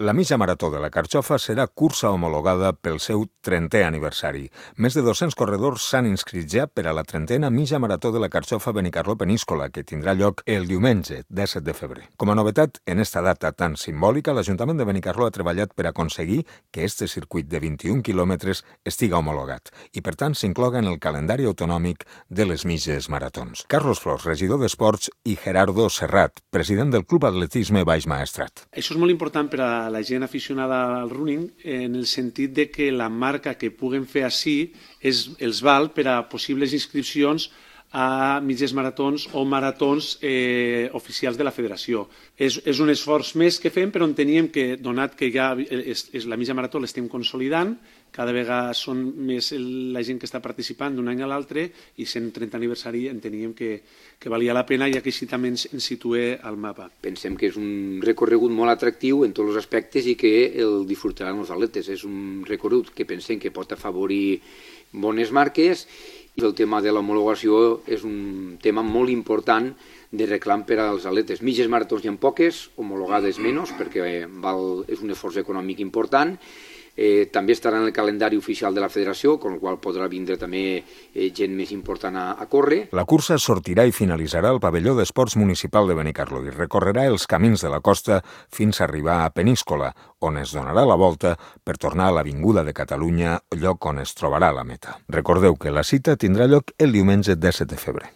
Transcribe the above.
La mitja marató de la Carxofa serà cursa homologada pel seu 30è aniversari. Més de 200 corredors s'han inscrit ja per a la 30a mitja marató de la Carxofa Benicarló-Peníscola, que tindrà lloc el diumenge 17 de febrer. Com a novetat, en esta data tan simbòlica, l'Ajuntament de Benicarló ha treballat per aconseguir que este circuit de 21 quilòmetres estiga homologat i, per tant, s'incloga en el calendari autonòmic de les mitges maratons. Carlos Flors, regidor d'Esports, i Gerardo Serrat, president del Club Atletisme Baix Maestrat. Això és molt important per a la gent aficionada al running, en el sentit de que la marca que puguen fer així els val per a possibles inscripcions a mitges maratons o maratons oficials de la federació. És un esforç més que fem, però enteníem que, donat que ja la mitja marató l'estem consolidant, cada vegada són més la gent que està participant d'un any a l'altre i sent 30 aniversari enteníem que valia la pena, ja que així també ens situé al mapa. Pensem que és un recorregut molt atractiu en tots els aspectes i que el disfrutaran els atletes. És un recorregut que pensem que pot afavorir bones marques i el tema de l'homologació és un tema molt important de reclam per als atletes. Mitges maratons hi ha poques, homologades menys, perquè és un esforç econòmic important. També estarà en el calendari oficial de la federació, amb el qual podrà vindre també gent més important a córrer. La cursa sortirà i finalitzarà al pavelló d'esports municipal de Benicarló i recorrerà els camins de la costa fins a arribar a Peníscola, on es donarà la volta per tornar a l'Avinguda de Catalunya, lloc on es trobarà la meta. Recordeu que la cita tindrà lloc el diumenge 17 de febrer.